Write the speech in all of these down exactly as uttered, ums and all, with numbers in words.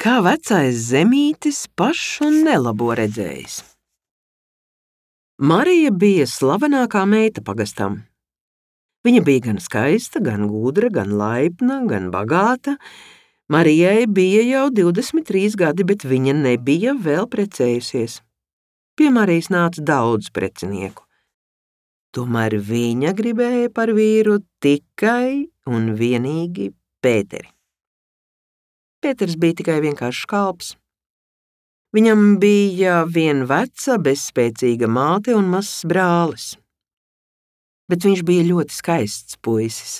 Kā vecais Zemītis pašu nelabo redzējis. Marija bija slavenākā meita pagastam. Viņa bija gan skaista, gan gudra, gan laipna, gan bagāta. Marijai bija jau divdesmit trīs gadi, bet viņa nebija vēl precējusies. Pie Marijas nāca daudz precinieku. Tomēr viņa gribēja par vīru tikai un vienīgi Pēteri. Pēters bija tikai vienkāršs kalps. Viņam bija viena veca, bezspēcīga māte un mazs brālis. Bet viņš bija ļoti skaists puisis,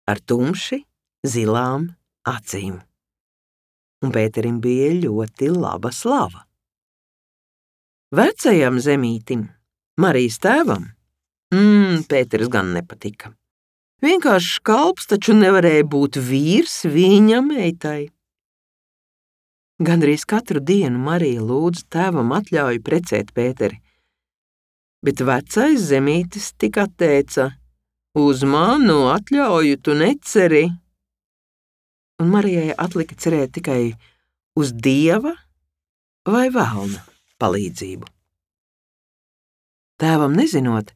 ar tumši, zilām acīm. Un Pēterim bija ļoti laba slava. Vecajam Zemītim, Marijas tēvam, mm, Pēters gan nepatika. Vienkāršs kalps taču nevarēja būt vīrs viņa meitai. Gandrīz katru dienu Marija lūdza tēvam atļauju precēt Pēteri, bet vecais Zemītis tik atteica: uz manu atļauju tu neceri. Un Marijai atlika cerēt tikai uz Dieva vai velna palīdzību. Tēvam nezinot,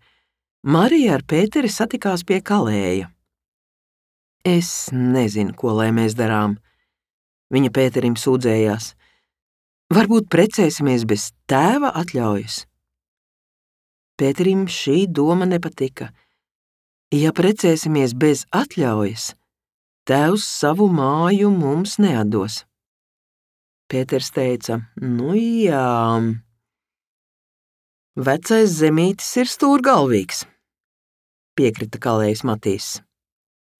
Marija ar Pēteri satikās pie kalēja. Es nezinu, ko lai mēs darām, viņa Pēterim sūdzējās. Varbūt precēsimies bez tēva atļaujas. Pēterim šī doma nepatika. Ja precēsimies bez atļaujas, tēvs savu māju mums neatdos. Pēters teica: nu jā, vecais Zemītis ir stūrgalvīgs, piekrita kalējs Matīs.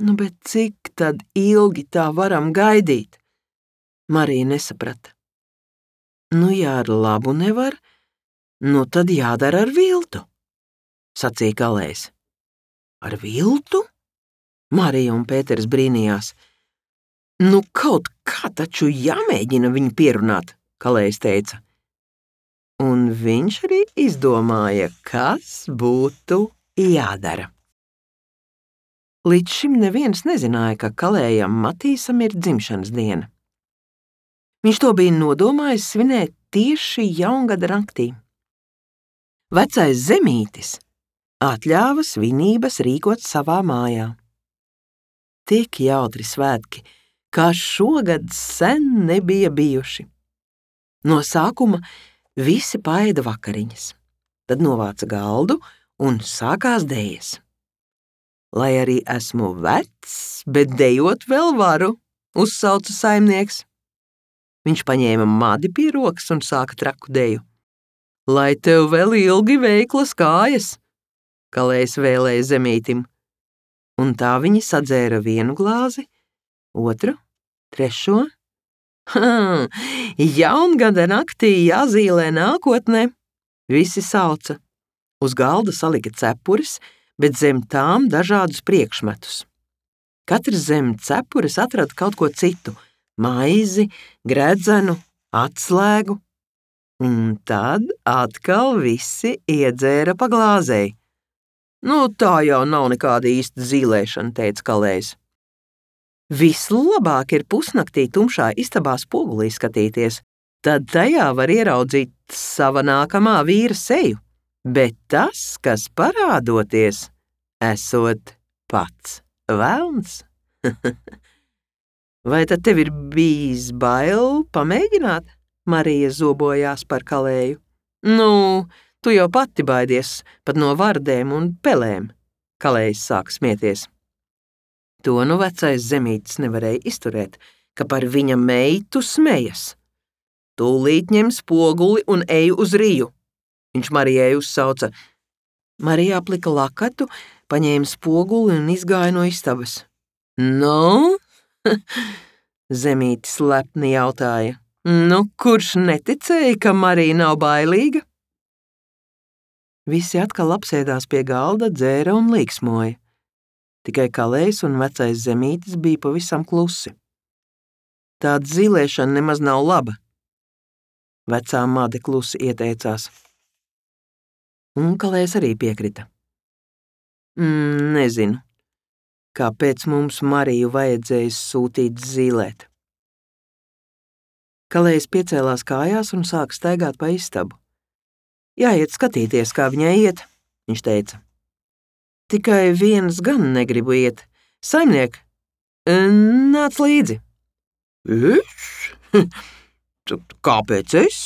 Nu, bet cik tad ilgi tā varam gaidīt? Marija nesaprata. Nu, ja ar labu nevar, nu tad jādara ar viltu, sacīja kalējs. Ar viltu? Marija un Pēters brīnījās. Nu, kaut kā taču jāmēģina viņu pierunāt, kalējs teica. Un viņš arī izdomāja, kas būtu jādara. Līdz šim neviens nezināja, ka kalējam Matīsam ir dzimšanas diena. Viņš to bija nodomājis svinēt tieši jaungada naktī. Vecais Zemītis atļāva svinības rīkot savā mājā. Tik jautri svētki, kā šogad sen nebija bijuši. No sākuma visi paēda vakariņas, tad novāca galdu un sākās dejas. Lai arī esmu vecs, bet dejot vēl varu, uzsauca saimnieks. Viņš paņēma madi pie rokas un sāka traku deju. Lai tev vēl ilgi veiklas kājas, kalējs vēlēja Zemītim. Un tā viņi sadzēra vienu glāzi, otru, trešo. Ha, jaungada naktī jāzīlē nākotnē, visi sauca. Uz galda salika cepures, bet zem tām dažādus priekšmetus. Katrs zem cepures atrada kaut ko citu – maizi, gredzenu, atslēgu. Un tad atkal visi iedzēra pa glāzei. Nu, tā jau nav nekāda īsta zīlēšana, teica kalējs. Vislabāk ir pusnaktī tumšā istabā spogulī skatīties, tad tajā var ieraudzīt sava nākamā vīra seju, bet tas, kas parādoties, esot pats velns. Vai tad tev ir bijis bail pamēģināt? Marija zobojās par kalēju. Nu, tu jau pati baidies pat no vardēm un pelēm, kalējs sāka smieties. To nu vecais Zemītis nevarēja izturēt, ka par viņa meitu smejas. Tūlīt ņem spoguli un ej uz riju, viņš Marijai uzsauca. Marija aplika lakatu, paņēma spoguli un izgāja no istabas. Nu? Zemītis lepni jautāja. Nu, kurš neticēja, ka Marija nav bailīga? Visi atkal apsēdās pie galda, dzēra un līksmoja. Tikai kalējs un vecais Zemītis bija pavisam klusi. Tāda zīlēšana nemaz nav laba. Vecā made klusi ieteicās. Un kalējs arī piekrita. Mm, nezinu, kāpēc mums Mariju vajadzēja sūtīt zīlēt. Kalējs piecēlās kājās un sāka staigāt pa istabu. Jāiet skatīties, kā viņai iet, viņš teica. Tikai viens gan negribu iet. Saimniek, nāc līdzi. Es? Kāpēc es?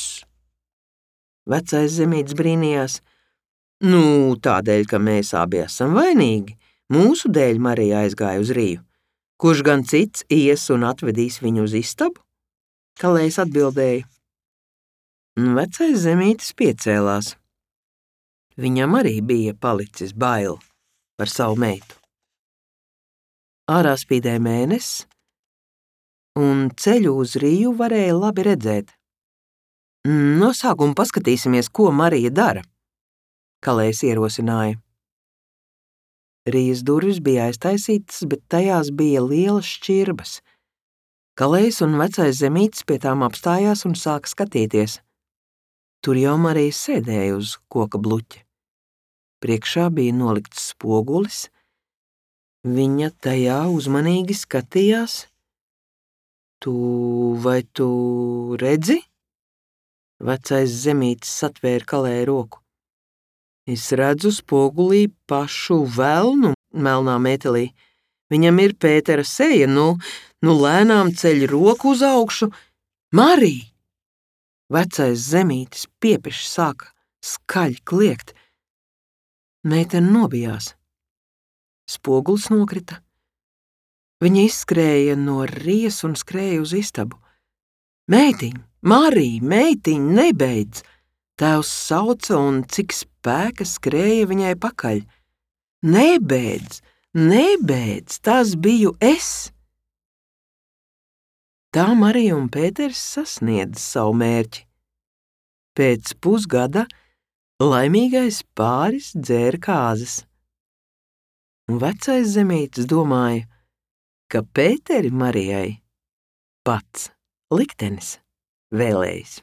Vecais zemītis brīnījās. Nu, tādēļ, ka mēs abi esam vainīgi. Mūsu dēļ Marija aizgāja uz Riju. Kurš gan cits ies un atvedīs viņu uz istabu? Kalējs atbildēja. Vecais zemītis piecēlās. Viņam arī bija palicis bail par savu meitu. Ārā spīdēja mēnesis, un ceļu uz Riju varēja labi redzēt. No sākuma paskatīsimies, ko Marija dara, Kalējs ierosināja. Rijas durvis bija aiztaisītas, bet tajās bija lielas šķirbas. Kalējs un vecais zemītis pie tām apstājās un sāka skatīties. Tur jau Marija sēdēja uz koka bluķa. Priekšā bija nolikts spogulis. Viņa tajā uzmanīgi skatījās. Tu vai tu redzi? Vecais zemītis satvēra Kalēja roku. Es redzu spogulī pašu velnu melnā metelī. Viņam ir Pētera seja, nu, nu lēnām ceļ roku uz augšu. Marija! Vecais zemītis piepeši sāka skaļi kliegt. Meitene nobijās. Spogulis nokrita. Viņa izskrēja no Rijas un skrēja uz istabu. Meitiņ, Marija, meitiņ, nebeidz! Tēvs sauca un cik spēka skrēja viņai pakaļ. Nebeidz, nebeidz, tas biju es! Tā Marija un Pēters sasniedz savu mērķi. Pēc pusgada laimīgais pāris dzēra kāzas. Un vecais zemītis domāja, ka Pēteri Marijai pats liktenis vēlējis.